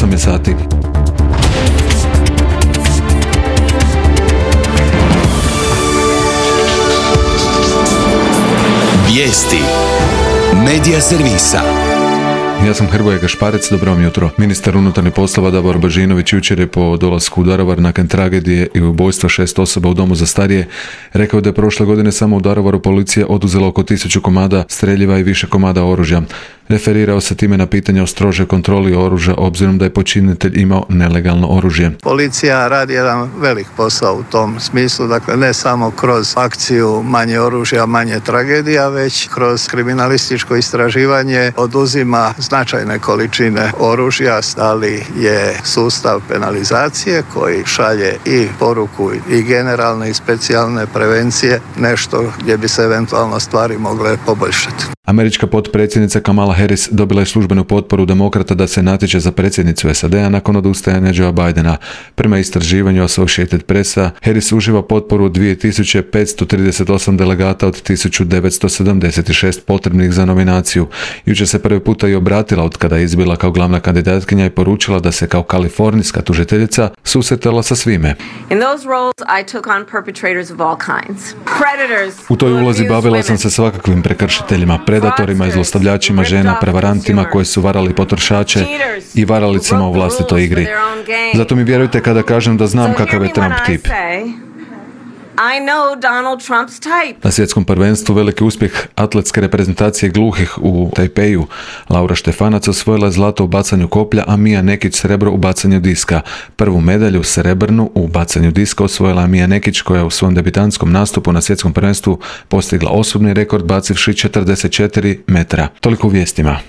8 je sati. Vijesti Medija servisa. Ja sam Hrvoje Gašparec, dobro vam jutro. Ministar unutarnjih poslova Davor Božinović jučer je po dolasku u Daruvar nakon tragedije i ubojstva 6 osoba u domu za starije rekao da je prošle godine samo u Daruvaru policija oduzela oko 1000 komada streljiva i više komada oružja. Referirao se time na pitanje o strožoj kontroli oružja obzirom da je počinitelj imao nelegalno oružje. Policija radi jedan velik posao u tom smislu, dakle ne samo kroz akciju manje oružja, manje tragedija, već kroz kriminalističko istraživanje oduzima značajne količine oružja, ali je sustav penalizacije koji šalje i poruku i generalne i specijalne prevencije nešto gdje bi se eventualno stvari mogle poboljšati. Američka potpredsjednica Kamala Harris dobila je službenu potporu demokrata da se natječe za predsjednicu SAD-a nakon odustajanja Joea Bidena. Prema istraživanju Associated Pressa, Harris uživa potporu 2538 delegata od 1976 potrebnih za nominaciju. Jučer se prvi puta i obratila od kada je izbila kao glavna kandidatkinja i poručila da se kao kalifornijska tužiteljica susretala sa svime. U toj ulozi bavila sam se svakakvim prekršiteljima, predatorima i zlostavljačima žena, prevarantima koji su varali potrošače i varalicama u vlastitoj igri. Zato mi vjerujte kada kažem da znam kakav je Trump tip. Na svjetskom prvenstvu veliki uspjeh atletske reprezentacije gluhih u Tajpeju. Laura Štefanac osvojila zlato u bacanju koplja, a Mija Nekić srebro u bacanju diska. Prvu medalju srebrnu u bacanju diska osvojila Mija Nekić koja je u svom debitantskom nastupu na svjetskom prvenstvu postigla osobni rekord bacivši 44 metra. Toliko u vijestima.